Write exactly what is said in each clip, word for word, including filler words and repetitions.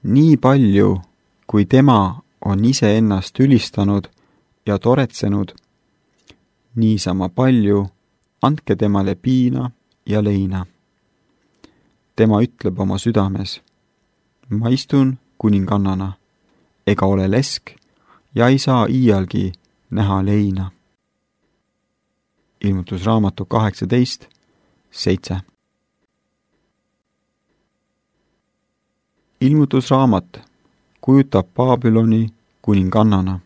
Nii palju, kui tema on iseennast ülistanud ja toretsenud, niisama palju andke temale piina ja leina. Tema ütleb oma südames, ma istun kuningannana, ega ole lesk ja ei saa iialgi näha leina. Ilmutusraamatu kaheksateist seitse. Ilmutusraamat kujutab Babyloni kuningannana,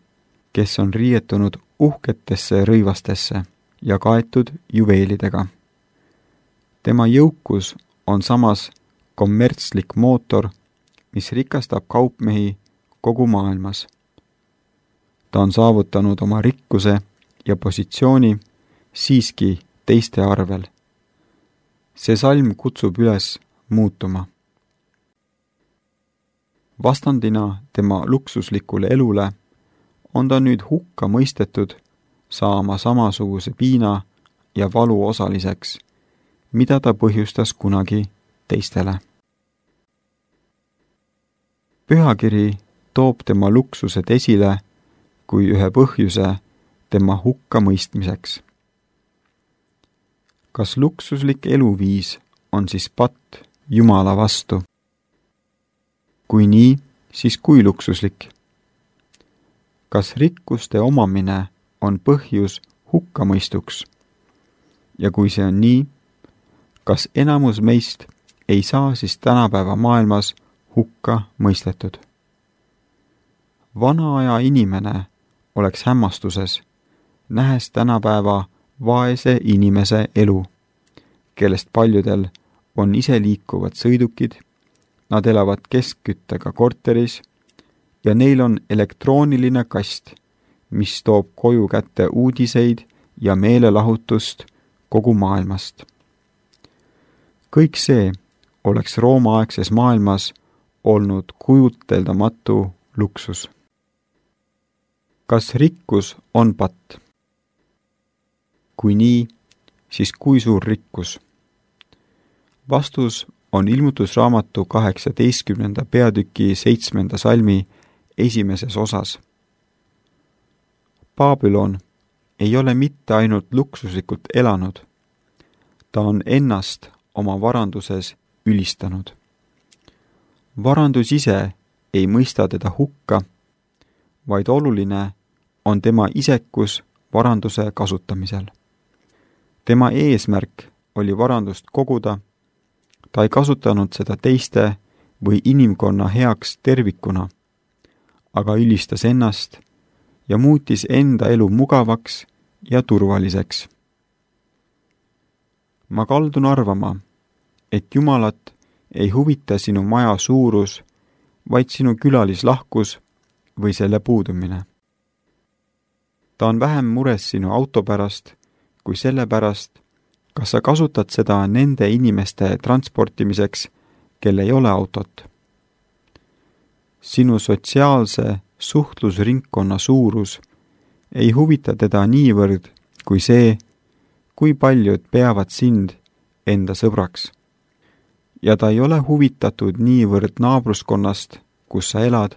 kes on riietunud uhketesse rõivastesse ja kaetud juveelidega. Tema jõukus on samas kommertslik mootor, mis rikastab kaupmehi kogu maailmas. Ta on saavutanud oma rikkuse ja positsiooni siiski teiste arvel. See salm kutsub üles muutuma. Vastandina tema luksuslikule elule on ta nüüd hukka mõistetud saama samasuguse piina ja valu osaliseks, mida ta põhjustas kunagi teistele. Pühakiri toob tema luksused esile kui ühe põhjuse tema hukka mõistmiseks. Kas luksuslik eluviis on siis patt Jumala vastu? Kui nii, siis kui luksuslik? Kas rikkuste omamine on põhjus hukkamõistuks? Ja kui see on nii, kas enamus meist ei saa siis tänapäeva maailmas hukka mõistetud? Vana aja inimene oleks hämmastuses, nähes tänapäeva vaese inimese elu, kellest paljudel on iseliikuvad sõidukid, nad elavad keskküttega korteris ja neil on elektrooniline kast, mis toob koju kätte uudiseid ja meelelahutust kogu maailmast. Kõik see oleks roomaaegses maailmas olnud kujuteldamatu luksus. Kas rikkus on patt? Kui nii, siis kui suur rikkus? Vastus on ilmutusraamatu kaheksateistkümnenda peatüki seitsmenda salmi esimeses osas. Babylon ei ole mitte ainult luksuslikult elanud, ta on ennast oma varanduses ülistanud. Varandus ise ei mõista teda hukka, vaid oluline on tema isekus varanduse kasutamisel. Tema eesmärk oli varandust koguda, ta ei kasutanud seda teiste või inimkonna heaks tervikuna, aga ülistas ennast ja muutis enda elu mugavaks ja turvaliseks. Ma kaldun arvama, et Jumalat ei huvita sinu maja suurus, vaid sinu külalislahkus või selle puudumine. Ta on vähem mures sinu auto pärast kui selle pärast, kas sa kasutad seda nende inimeste transportimiseks, kel ei ole autot. Sinu sotsiaalse suhtlusringkonna suurus ei huvita teda niivõrd kui see, kui paljud peavad sind enda sõbraks. Ja ta ei ole huvitatud niivõrd naabruskonnast, kus sa elad,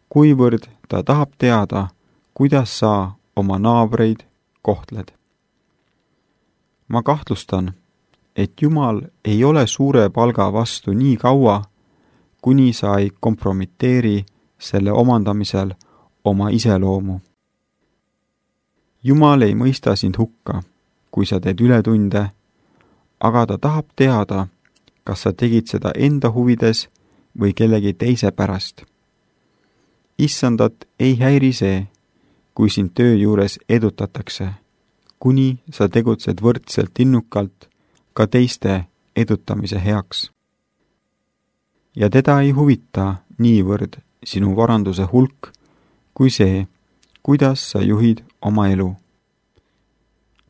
kuivõrd ta tahab teada, kuidas sa oma naabreid kohtled. Ma kahtlustan, et Jumal ei ole suure palga vastu nii kaua, kuni sa ei kompromiteeri selle omandamisel oma iseloomu. Jumal ei mõista sind hukka, kui sa teed ületunde, aga ta tahab teada, kas sa tegid seda enda huvides või kellegi teise pärast. Issandat ei häiri see, kui sind töö juures edutatakse, kuni sa tegutsed võrdselt innukalt ka teiste edutamise heaks. Ja teda ei huvita niivõrd sinu varanduse hulk, kui see, kuidas sa juhid oma elu.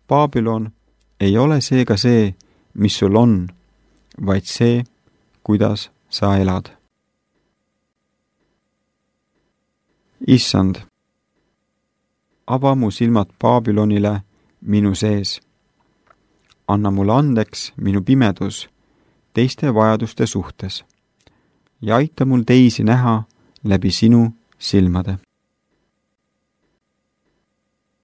Babylon ei ole seega see, mis sul on, vaid see, kuidas sa elad. Issand, ava mu silmad Babylonile minu sees. Anna mulle andeks minu pimedus teiste vajaduste suhtes ja aita mul teisi näha läbi sinu silmade.